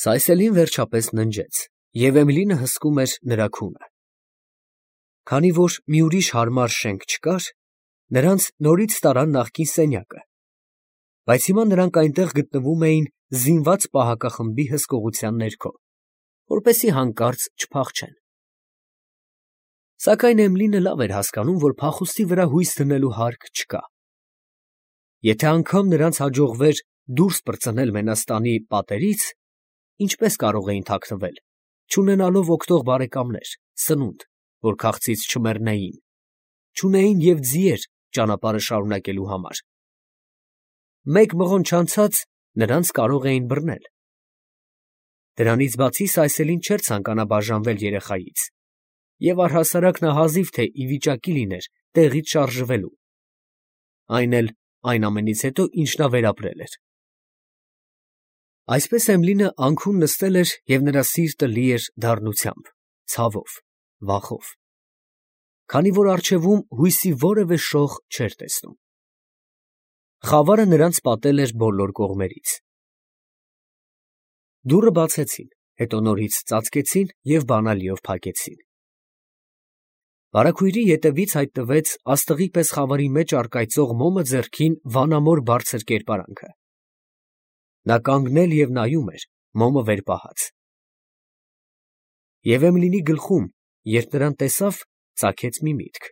Սայսելին վերջապես ննջեց, և Էմիլինը հսկում էր նրա քունը։ Քանի որ մի ուրիշ հարմար շենք չկար, նրանց նորից տարան նախկին սենյակը, բայց հիմա նրանք այնտեղ գտնվում էին զինված պահակախմբի հսկողության ներքո, որպեսզի հանկարծ չփախչեն։ Սակայն Էմիլինը լավ էր հասկանում, որ փախուստի վրա հույս դնելու հարկ չկա։ Եթե անգամ նրանց հաջողվեր դուրս պրծնել Մենաստանի պատերից, ինչպես կարող էին թաքնվել, չունենալով օգտող բարեկամներ, սնունդ, որ քաղցից չմեռնեին, չունեին և ձիեր ճանապարհը շարունակելու համար։ Մեկ մղոն չանցած նրանց կարող էին բռնել։ Դրանից բացի Սայսելին չէր ցանկանա բաժանվել երեխայից, և առհասարակ նա հազիվ թե ի վիճակի լիներ տեղից շարժվելու, այն էլ այն ամենից հետո, ինչ նա վերապրել էր։ Այսպես Էմիլինը անքուն նստել էր, և նրա սիրտը լի էր դառնությամբ, ցավով, վախով, քանի որ առջևում հույսի որևէ շող չէր տեսնում։ Խավարը նրանց պատել էր բոլոր կողմերից։ Դուռը բացեցին, հետո նորից ծածկեցին և բանալիով փակեցին։ Վարագույրի ետևից հայտնվեց աստղի պես խավարի մեջ առկայծող մոմը ձեռքին վանամոլ բարձր կերպարանքը։ Նա կանգնել և նայում էր, մոմը վեր պահած։ Եվ Էմիլինի գլխում, երբ նրան տեսավ, ծագեց մի միտք.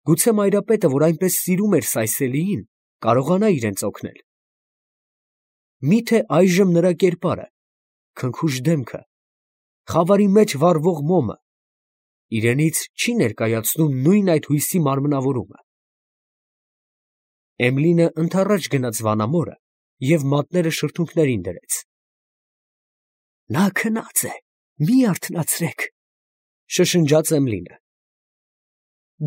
գուցե Մայրապետը, որ այնպես սիրում էր Սայսելիին, կարողանա իրենց օգնել։ Մի՞թե այժմ նրա կերպարը, քնքուշ դեմքը, խավարի մեջ վառվող մոմը իրենից չի ներկայացնում նույն այդ հույսի մարմնավորումը։ Էմիլինը ընդառաջ գնաց վանամորը և մատները շրթունքներին դրեց։ Նա քնած է, մի արթնացրեք, շշնջաց Էմիլինը։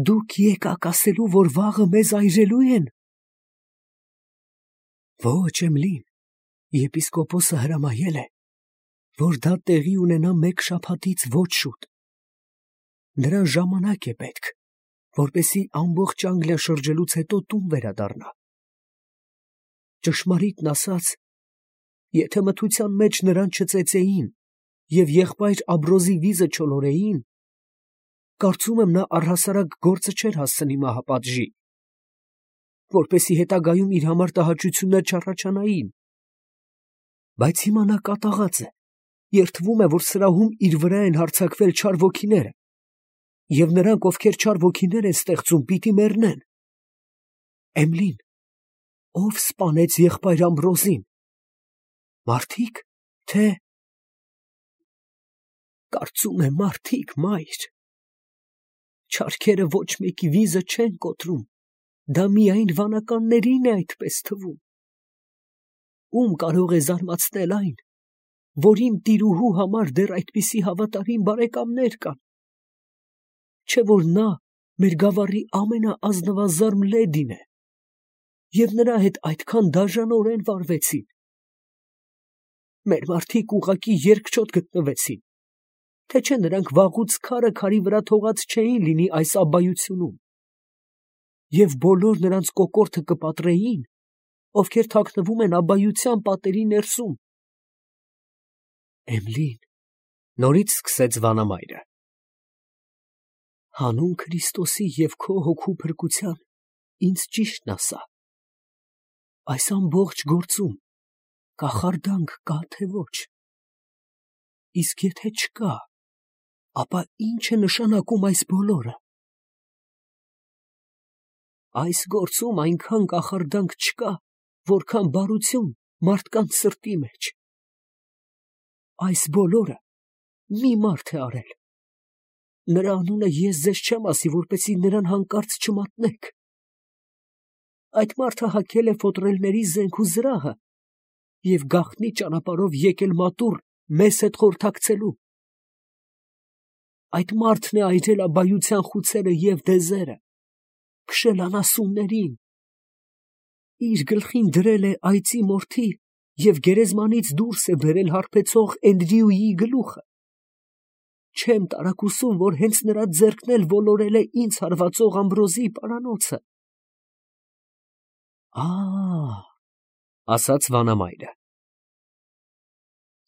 Դուք եկաք ասելու, որ վաղը մեզ այրելու են։ Ոչ, Էմիլին, եպիսկոպոսը հրամայել է, որ դա տեղի ունենա մեկ շաբաթից ոչ շուտ։ Նրան ժամանակ է պետք, որպեսզի ամբողջ Անգլիա շրջելուց հետո տուն վերադառնա։ Ճշմարիտն ասած, եթե մթության մեջ նրան չծեծեին և եղբայր Աբրոզի վիզը չոլորեին, կարծում եմ նա առհասարակ գործը չէր հասցնի մահապատժի, որպեսզի հետագայում իր համար տհաճություններ չառաջանային։ Բայց հիմա նա կատաղած է, երդվում է, որ սրահում իր վրա են հարձակվել չար ոգիները, և նրանք, ովքեր չար ոգիներ են ստեղծում, պիտի մեռնեն։ Էմիլին, ով սպանեց եղբայր Ամբրոզին։ Մարդիկ, թե… Կարծում եմ մարդիկ, մայր։ Չարքերը ոչ մեկի վիզը չեն կոտրում, դա միայն վանականներին է այդպես թվում։ Ում կարող է զարմացնել այն, որ իմ տիրուհու համար դեռ այդպիսի հավատարիմ բարեկամներ կան, չէ՞ որ նա մեր գավառի ամենաազնվազարմ լեդին է, և նրա հետ այդքան դաժանորեն վարվեցին։ Մեր մարդիկ ուղղակի երկչոտ գտնվեցին, թե չէ նրանք վաղուց քարը քարի վրա թողած չէին լինի այս աբայությունում, և բոլոր նրանց կոկորդը կպատրեին, ովքեր թաքնվում են աբայության պատերի ներսում։ Էմիլին, նորից սկսեց վանամայրը, հանուն Քրիստոսի և քո հոգու փրկության ինձ ճիշտն ասա. այս ամբողջ գործում կախարդանք կա, թե ոչ։ Իսկ եթե չկա, ապա ի՞նչ է նշանակում այս բոլորը։ Այս գործում այնքան կախարդանք չկա, որքան բարություն մարդկանց սրտի մեջ։ Այս բոլորը մի մարդ է արել։ Նրա անունը ես ձեզ չեմ ասի, որպեսզի նրան հանկարծ չմատնեք։ Այդ մարդը հագել է ֆոտրելների զենք ու զրահը և գաղտնի ճանապարհով եկել մատուռ մեզ հետ խորհրդակցելու։ Այդ մարդն է այրել աբայության խուցերը և դեզերը, քշել անասուններին, իր գլխին դրել է այծի մորթի և գերեզմանից դուրս է բերել հարբեցող Էնդրյուի գլուխը։ Չեմ տարակուսում, որ հենց նրա ձեռքն էլ ոլորել է ինձ հարվածող Ամբրոզի պարանոցը։ Ասաց վանամայրը,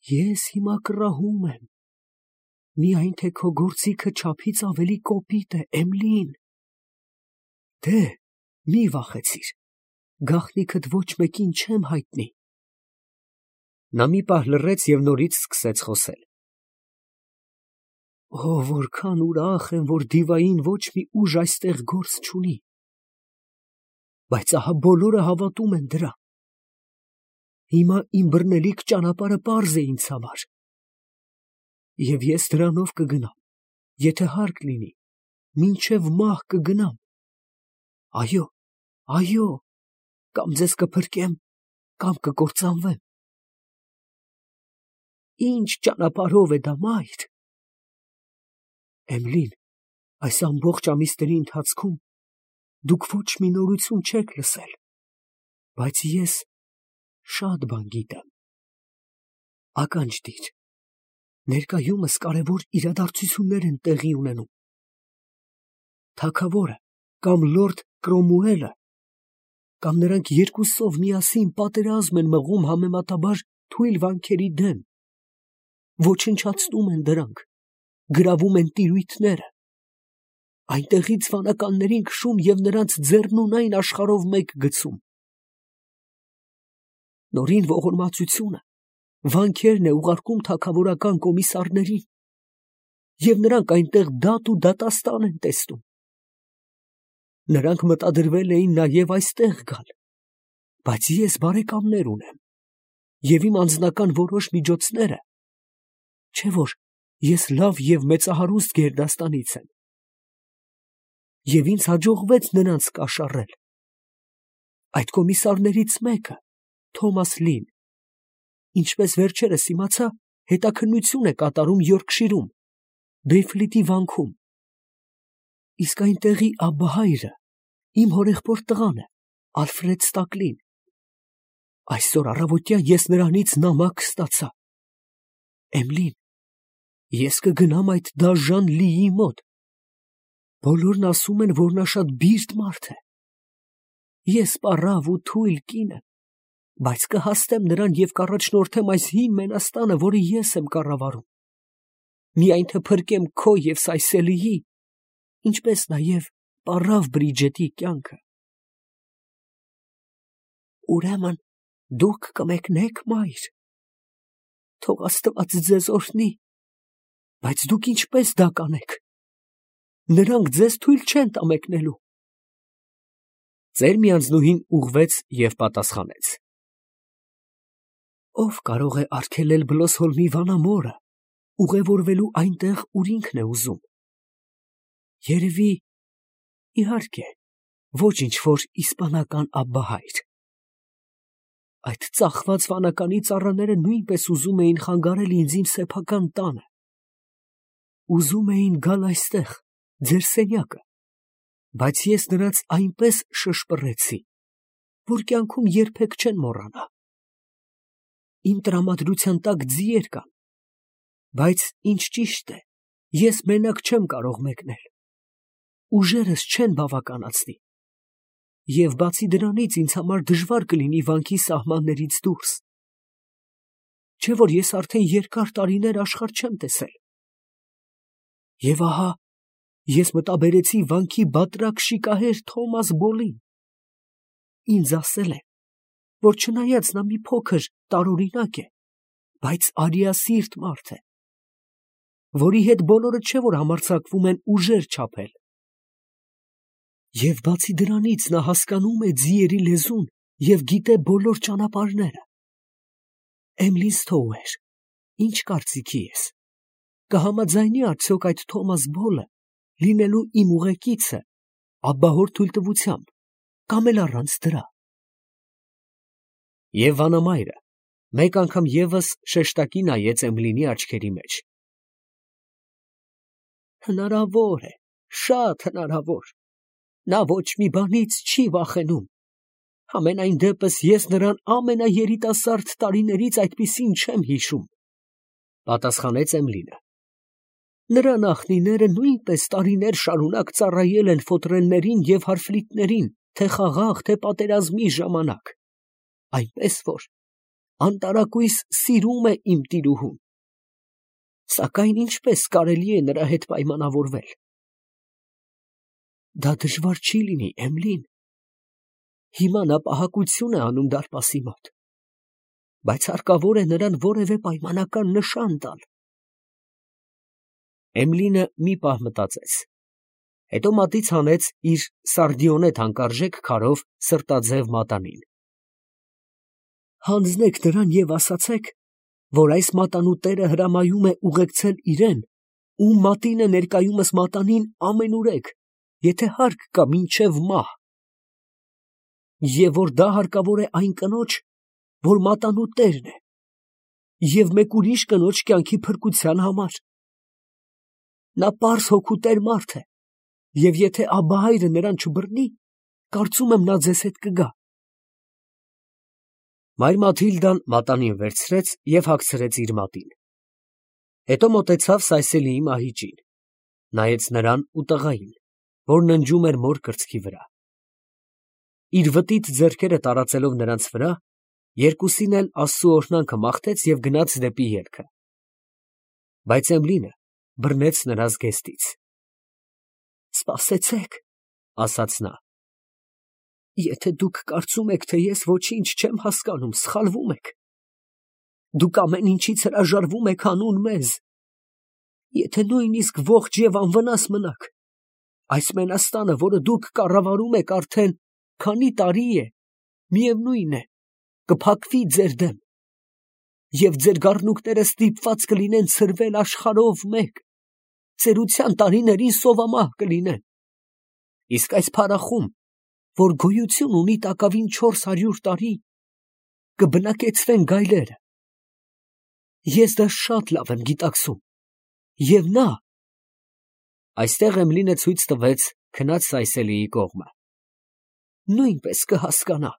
Ես հիմա կռահում եմ, միայն թե քո գործիքը չափից ավելի կոպիտ է, Էմլին։ Դե, մի վախեցիր, գաղտնիքդ ոչ մեկին չեմ հայտնի։ Նա մի պահ լռեց և նորից սկսեց խոսել. Օ, որքան ուրախ եմ, որ դիվային ոչ մի ուժ այստեղ գործ չունի։ Բայց ահա բոլորը հավատում են դրան։ Հիմա իմ բռնելիք ճանապարհը պարզ է ինձ համար։ Եվ ես դրանով կգնամ, եթե հարկ լինի, մինչև մահ կգնամ։ Այո, այո, կամ ձեզ կփրկեմ, կամ կկործանվեմ։ Ինչ ճանապարհով է դա, մայր։ Էմլին, այս ամբողջ ամիսների ընթացքում դուք ոչ մի նորություն չեք լսել, բայց ես շատ բան գիտեմ։ Ականջ դիր, ներկայումս կարևոր իրադարձություններ են տեղի ունենում։ Թագավորը կամ լորդ Կրոմուելը կամ նրանք երկուսով միասին պատերազմ են մղում համեմատաբար թույլ վանքերի դեմ, ոչնչացնում են դրանք, գրավում են տիրույթները, այնտեղից վանականներին քշում և նրանց ձեռնունայն աշխարհով մեկ գցում։ Նորին ողորմածությունը վանքերն է ուղարկում թագավորական կոմիսարներին, և նրանք այնտեղ դատ ու դատաստան են տեսնում։ Նրանք մտադրվել էին նաև այստեղ գալ, բայց ես բարեկամներ ունեմ, և իմ անձնական որոշ միջոցները, չէ՞ որ ես լավ և մեծահարուստ գերդաստանից եմ, և ինձ հաջողվեց նրանց կաշառել։ Այդ կոմիսարներից մեկը, Թոմաս Լին, ինչպես վերջերս իմացա, հետաքննություն է կատարում Յորքշիրում, Բեյֆլիթի վանքում։ Իսկ այնտեղի աբբահայրը իմ հորեղբոր տղան է, Ալֆրեդ Ստակլին։ Այսօր առավոտյան ես նրանից նամակ ստացա։ Էմլին, ես կգնամ այդ դաժան Լիի մոտ։ Բոլորն ասում են, որ նա շատ բիրտ մարդ է։ Ես պառավ ու թույլ կին եմ, բայց կհաստեմ նրան և կառաջնորդեմ այս հին մենաստանը, որը ես եմ կառավարում, միայն թե փրկեմ քո և Սայսելիի, ինչպես նաև պառավ Բրիջետի կյանքը։ Ուրեմն դուք կմեկնեք, մայր։ Թող Աստված ձեզ օրհնի, բայց դուք ինչպես դա կանեք։ Նրանք ձեզ թույլ չեն տա մեկնելու։ Ծերմիանձնուհին ուղղվեց և պատասխանեց. Ով կարող է արգելել Բլոսհոլմի վանամորը ուղևորվելու այնտեղ, ուր ինքն է ուզում։ Երևի, իհարկե, ոչ ինչ-որ իսպանական աբբահայր։ Այդ ծախված վանականի ծառաները նույնպես ուզում էին խանգարել ինձ իմ սեփական տանը։ Ուզում էին գալ այստեղ, ձեր սենյակը, բայց ես նրանց այնպես շշպռեցի, որ կյանքում երբեք չեն մոռանա։ Իմ տրամադրության տակ ձիեր կան, բայց ինչ ճիշտ է, ես մենակ չեմ կարող մեկնել։ Ուժերս չեն բավականացնի։ Եվ բացի դրանից ինձ համար դժվար կլինի վանքի սահմաններից դուրս։ Չէ՞ որ ես արդեն երկար տարիներ աշխարհ չեմ տեսել։ Եվ ահա ես մտաբերեցի վանքի բատրակ շիկահեր Թոմաս Բոլին։ Ինձ ասել է, որ չնայած նա մի փոքր տարօրինակ է, բայց արիասիրտ մարդ է, որի հետ բոլորը չէ որ համարձակվում են ուժեր չափել։ Եվ բացի դրանից նա հասկանում է ձիերի լեզուն և գիտե բոլոր ճանապարհները։ Էմլին Սթոուեր, ինչ կարծիքի ես, կհամաձայնի արդյոք այդ Թոմաս Բոլը լինելու իմ ուղեկիցը աբբահոր թույլտվությամբ, կամ էլ առանց դրա։ Եվ վանամայրը մեկ անգամ ևս շեշտակի նայեց Էմլինի աչքերի մեջ։ Հնարավոր է, շատ հնարավոր։ Նա ոչ մի բանից չի վախենում։ Համենայն դեպս ես նրան ամենաերիտասարդ տարիներից այդպիսին չեմ հիշում, պատասխանեց Էմլինը։ Նրա նախնիները նույնպես տարիներ շարունակ ծառայել են ֆոտրելներին և հարֆլիտներին, թե խաղաղ, թե պատերազմի ժամանակ, այնպես որ անտարակույս սիրում է իմ տիրուհուն, սակայն ինչպես կարելի է նրա հետ պայմանավորվել։ Դա դժվար չի լինի, Էմլին, հիմա նա պահակություն է անում դարպասի մոտ, բայց հարկավոր է նրան որևէ պայմանական նշան տալ։ Էմլինը մի պահ մտածեց, հետո մատից հանեց իր սարդիոնե թանկարժեք քարով սրտաձև մատանին։ Հանձնեք նրան և ասացեք, որ այս մատանու տերը հրամայում է ուղեկցել իրեն, ում մատինը ներկայումս մատանին ամենուրեք, եթե հարկ կա մինչև մահ, և որ դա հարկավոր է այն կնոջ, որ մատանու տերն է, և մեկ ուրիշ կնոջ կյանքի փրկության համար։ Նա պարզ հոգուտեր մարդ է, և եթե աբահայրը նրան չբռնի, կարծում եմ նա ձեզ հետ կգա։ Մայր Մաթիլդան մատանին վերցրեց և հագցրեց իր մատին։ Հետո մոտեցավ Սայսելիի մահիճին, նայեց նրան ու տղային, որ ննջում էր մոր կրծքի վրա։ Իր վտիտ ձեռքերը տարածելով նրանց վրա, երկուսին էլ Աստծու օրհնանքը մաղթեց և գնաց դեպի ելքը։ Բայց Էմլինը բռնեց նրա զգեստից։ «Սպասեցեք», ասաց նա, «եթե դուք կարծում եք, թե ես ոչինչ չեմ հասկանում, սխալվում եք։ Դուք ամեն ինչից հրաժարվում եք հանուն մեզ։ Եթե նույնիսկ ողջ և անվնաս մնաք, այս մենաստանը, որը դուք կառավարում եք արդեն քանի տարի է, միևնույն է, կփակվի ձեր դեմ, և ձեր գառնուկները ստիպված կլինեն ցրվել աշխարհով մեկ, ծերության տարիներին սովամահ կլինեն։ Իսկ այս փարախում, որ գոյություն ունի տակավին 400 տարի, կբնակեցվեն գայլերը։ Ես դա շատ լավ եմ գիտակցում, և նա…» Այստեղ Էմլինը ցույց տվեց քնած Սայսելիի կողմը, «նույնպես կհասկանա»։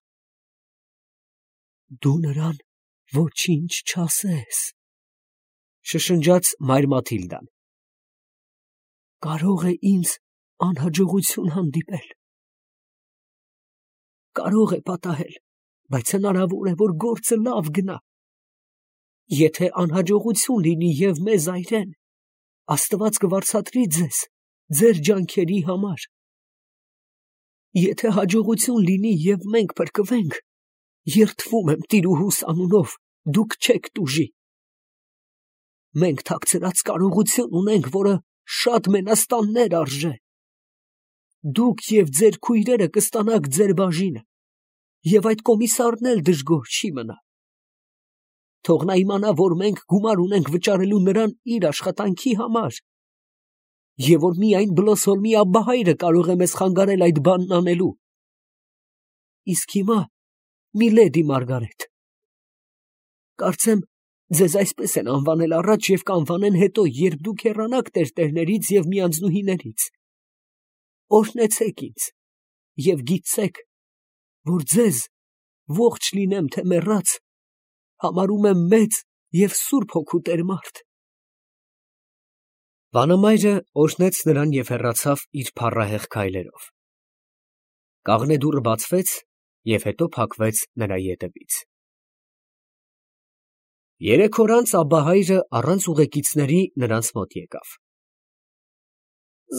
«Դու նրան ոչինչ չասես», շշնջաց մայր Մաթիլդան։ «Կարող է ինձ անհաջողություն հանդիպել, կարող է պատահել, բայց հնարավոր է, որ գործը լավ գնա։ Եթե անհաջողություն լինի և մեզ այրեն, Աստված կվարձատրի ձեզ ձեր ջանքերի համար։ Եթե հաջողություն լինի և մենք փրկվենք, երդվում եմ տիրուհուս անունով, դուք չեք տուժի։ Մենք թաքցրած կարողություն ունենք, որը շատ մենաստաններ արժե։ Դուք և ձեր քույրերը կստանաք ձեր բաժինը, և այդ կոմիսարն էլ դժգոհ չի մնա։ Թող նա իմանա, որ մենք գումար ունենք վճարելու նրան իր աշխատանքի համար, և որ միայն Բլոսոլմի աբբահայրը կարող է մեզ խանգարել այդ բանն անելու։ Իսկ հիմա, միլեդի Մարգարետ, կարծեմ, ձեզ այսպես են անվանել առաջ և կանվանեն հետո, երբ դուք հեռանաք տերտերներից և միանձնուհիներից, օրհնեցեք ինձ և գիտցեք, որ ձեզ, ողջ լինեմ թե մեռած, համարում եմ մեծ և սուրբ հոգուտեր մարդ։ Վանամայրը օրհնեց նրան և հեռացավ իր փառահեղ քայլերով։ Կաղնե դուռը բացվեց և հետո փակվեց նրա ետևից։ 3 օր անց աբբահայրը առանց ուղեկիցների նրանց մոտ եկավ։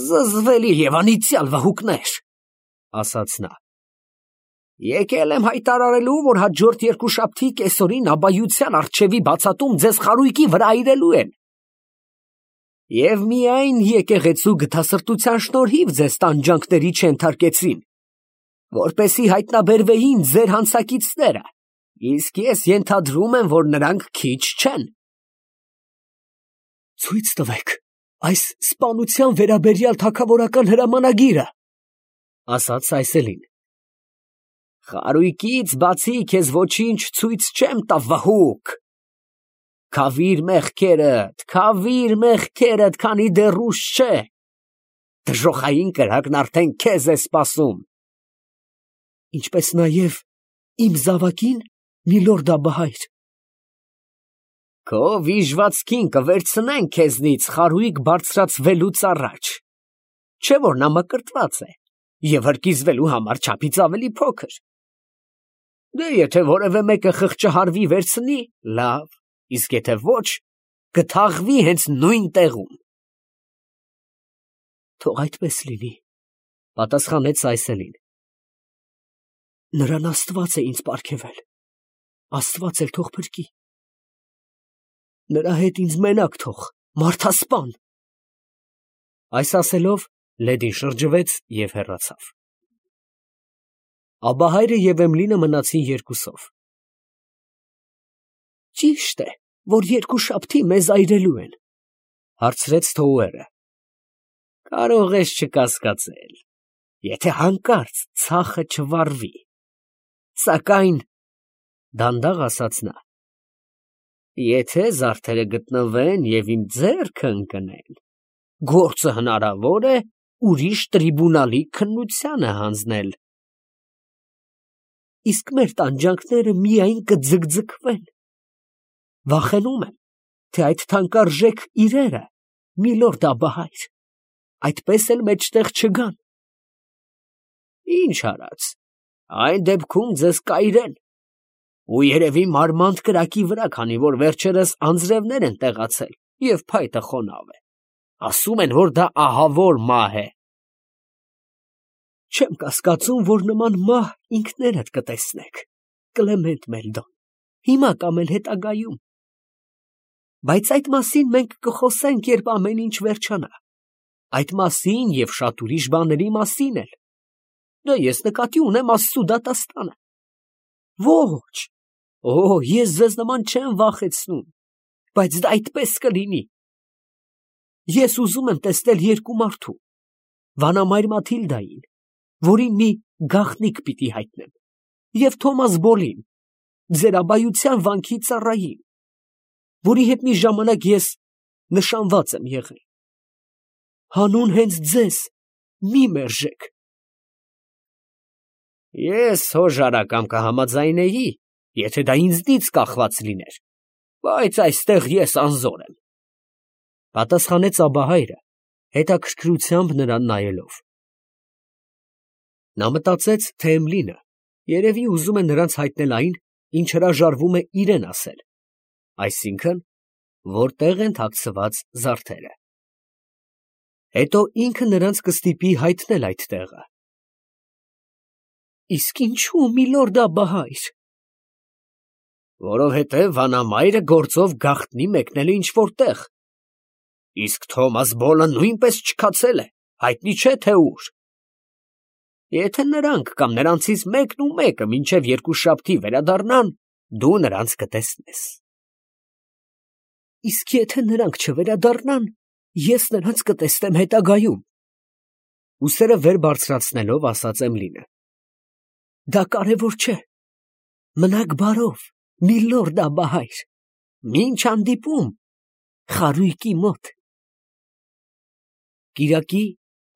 «Զզվելի և անիծյալ վհուկներ, ֊ ասաց նա, ֊ եկել եմ հայտարարելու, որ հաջորդ երկուշաբթի կեսօրին աբբայության առջևի բացատում ձեզ խարույկի վրա այրելու են։ Եվ միայն եկեղեցու գթասրտության շնորհիվ ձեզ տանջանքների չենթարկեցրին, որպեսզի հայտնաբերվեին ձեր հանցակիցները, իսկ ես ենթադրում եմ, որ նրանք քիչ չեն։ Ցույց տվեք այս սպանության վերաբերյալ թագավորական հրամանագիրը, ֊ ասաց Սայսելին։ Խարույկից բացի քեզ ոչինչ ցույց չեմ տա, վհուկ։ Քավիր մեղքերդ, քանի դեռ ուշ չէ։ Դժոխային կրակն արդեն քեզ է սպասում։ Ինչպես նաև իմ զավակին, միլորդ աբբահայր։ Քո վիժվածքին կվերցնենք քեզնից խարույկ բարձրացվելուց առաջ, չէ՞ որ նա մկրտված է և հրկիզվելու համար չափից ավելի փոքր։ Դե եթե որևէ մեկը խղճահարվի վերցնի, լավ, իսկ եթե ոչ, կթաղվի հենց նույն տեղում։ Թող այդպես լինի, պատասխանեց Սայսելին։ Նրան Աստված է ինձ պարգևել, Աստված էլ թող փրկի։ Նրա հետ ինձ մենակ թող, մարդասպան։ Այս ասելով Լեդին շրջվեց և հեռացավ։ Աբահայրը և Էմլինը մնացին երկուսով։ Ճիշտ է, որ երկուշաբթի մեզ այրելու են, հարցրեց Թոուերը։ Կարող ես չկասկածել, եթե հանկարծ ցախը չվառվի, սակայն, դանդաղ ասաց նա, եթե զարդերը գտնվեն և իմ ձեռքը ընկնեն, գործը հնարավոր է ուրիշ տրիբունալի քննությանը հանձնել։ Իսկ մեր տանջանքները միայն կձգձգվեն։ Վախենում եմ, թե այդ թանկարժեք իրերը, միլորդ Աբահայր, այդպես էլ մեջտեղ չգան։ Ինչ արած, այն դեպքում ձեզ կայրեն, ու երևի մարմանդ կրակի վրա, քանի որ վերջերս անձրևներ են տեղացել և փայտը խոնավ է։ Ասում են, որ դա ահավոր մահ է։ Չեմ կասկածում, որ նման մահ ինքներդ կտեսնեք, Կլեմենտ Մելդոն, հիմա կամ էլ հետագայում։ Բայց այդ մասին մենք կխոսենք, երբ ամեն ինչ վերջանա, այդ մասին և շատ ուրիշ բաների մասին էլ։ Դե ես նկատի ունեմ Աստծու դատաստանը։ Ոչ, ես ձեզ նման չեմ վախեցնում, բայց դա այդպես կլինի։ Ես ուզում եմ տեսնել երկու մարդու, վանամայր Մաթիլդային, որին մի գաղտնիք պիտի հայտնեմ, և Թոմաս Բոլին, ձեր աբայության վանքի ծառային, որի հետ մի ժամանակ ես նշանված եմ եղել։ Հանուն հենց ձեզ մի մերժեք։ Ես հոժարակամ կհամաձայնեի, եթե դա ինձնից կախված լիներ, բայց այստեղ ես անզոր եմ, պատասխանեց Աբահայրը, հետաքրքրությամբ նրան նայելով։ Նա մտածեց, թե Էմլինը երևի ուզում է նրանց հայտնել այն, ինչ հրաժարվում է իրեն ասել, այսինքն, որտեղ են թաքցված զարդերը։ Հետո ինքը նրանց կստիպի հայտնել այդ տեղը։ Իսկ ինչու, միլորդ Աբահայր։ Որովհետև վանամայրը գործով գաղտնի մեկնել է ինչ-որ տեղ։ Իսկ Թոմաս Բոլը նույնպես չքացել է, հայտնի չէ թե ուր։ Եթե նրանք կամ նրանցից մեկն ու մեկը մինչև երկուշաբթի վերադառնան, դու նրանց կտեսնես։ Իսկ եթե նրանք չվերադառնան, ես նրանց կտեսնեմ հետագայում։ Ուսերը վեր բարձրացնելով ասաց Էմլինը։ Դա կարևոր չէ։ Մնաք բարով, միլորդ Աբահայր, մինչ հանդիպում խարույկի մոտ։ Կիրակի,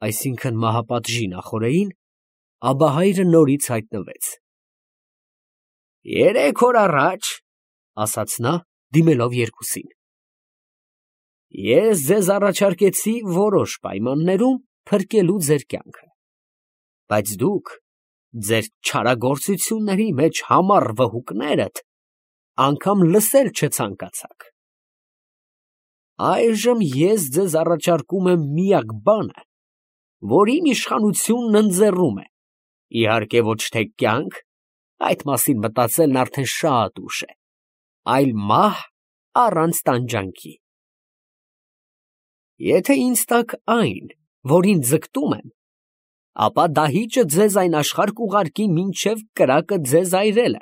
այսինքն մահապատժի նախօրեին, Աբահայրը նորից հայտնվեց։ Երեք օր առաջ, ասաց նա, դիմելով երկուսին, ես ձեզ առաջարկեցի որոշ պայմաններում փրկելու ձեր կյանքը, բայց դուք ձեր չարագործությունների մեջ համառ վհուկներդ անգամ լսել չցանկացաք։ Այժմ ես ձեզ առաջարկում եմ միակ բանը, որին իշխանությունն ընձեռում է, իհարկե ոչ թե կյանք, այդ մասին մտածելն արդեն շատ ուշ է, այլ մահ առանց տանջանքի։ Եթե ինձ տաք այն, որին ձգտում եմ, ապա դահիճը ձեզ այն աշխարհ կուղարկի մինչև կրակը ձեզ այրելը,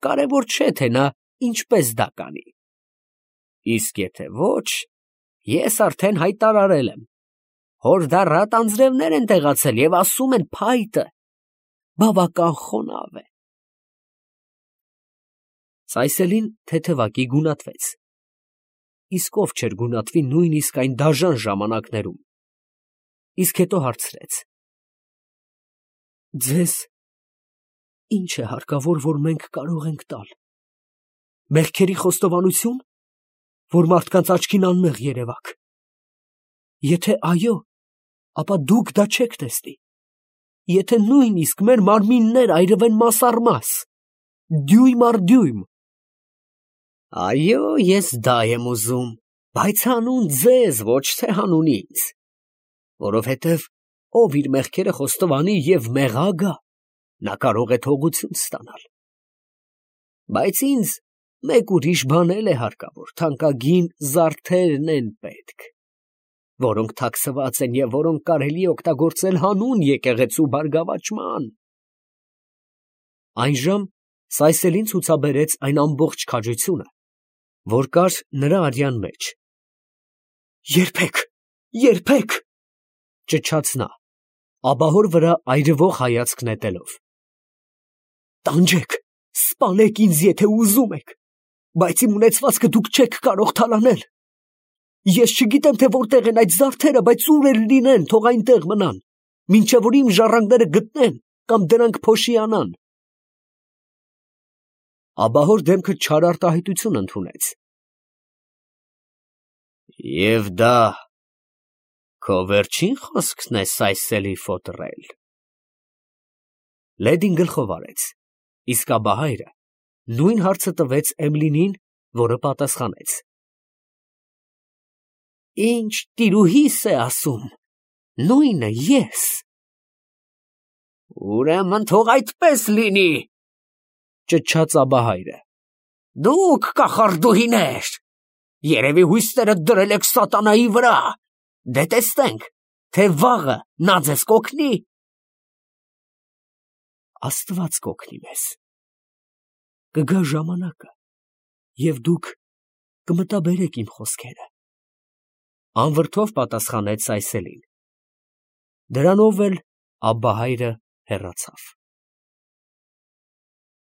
կարևոր չէ, թե նա ինչպես դա կանի։ Իսկ եթե ոչ, ես արդեն հայտարարել եմ, հորդառատ անձրևներ են տեղացել և ասում են փայտը բավական խոնավ է։ Սայսելին թեթևակի գունատվեց, իսկ ով չէր գունատվի նույնիսկ այն դաժան ժամանակներում, իսկ հետո հարցրեց. Ձեզ ինչ է հարկավոր, որ մենք կարող ենք տալ։ Մեղքերի խոստովանություն, որ մարդկանց աչքին անմեղ երևաք։ Եթե այո, ապա դուք դա չեք տեսնի։ Եթե նույնիսկ մեր մարմիններ այրվեն մաս առ մաս, դյույմ առ դյույմ։ Այո, ես դա եմ ուզում, բայց հանուն ձեզ, ոչ թե հանուն ինձ, որովհետև ով իր մեղքերը խոստովանի և մեղա գա, նա կարող է թողություն ստանալ։ Բայց ինձ մեկ ուրիշ բան էլ է հարկավոր, թանկագին զարդերն են պետք, որոնք թաքցված են և որոնք կարելի է օգտագործել հանուն եկեղեցու բարգավաճման։ Այնժամ Սայսելին ցուցաբերեց այն ամբողջ քաջությունը, որ կար նրա արյան մեջ։ Երբեք, ճչաց նա, աբահոր վրա այրվող հայացք նետելով։ Տանջեք, սպանեք ինձ, եթե ուզում եք, բայց իմ ունեցվածքը դուք չեք կարող թալանել։ Ես չգիտեմ, թե որտեղ են այդ զարդերը, բայց ուր էլ լինեն, թող այնտեղ մնան, մինչև որ իմ ժառանգները գտնեն կամ դրանք փոշիանան։ Աբահոր դեմքը չար արտահայտություն ընդունեց։ Եվ դա քո վերջին խոսքն է, Սայսելի ֆոտրել։ Լեդին գլխով արեց, իսկ աբահայրը նույն հարցը տվեց Էմլինին, որը պատասխանեց. Ինչ տիրուհիս է ասում, նույնը ես։ Ուրեմն թող այդպես լինի, ճչաց աբահայրը։ Դուք կախարդուհիներ, երևի հույսերը դրել եք սատանայի վրա, դե տեսնենք, թե վաղը նա ձեզ կօգնի։ Աստված կօգնի մեզ։ Կգա ժամանակը, և դուք կմտաբերեք իմ խոսքերը, անվրդով պատասխանեց Սայսելին։ Դրանով էլ աբահայրը հեռացավ։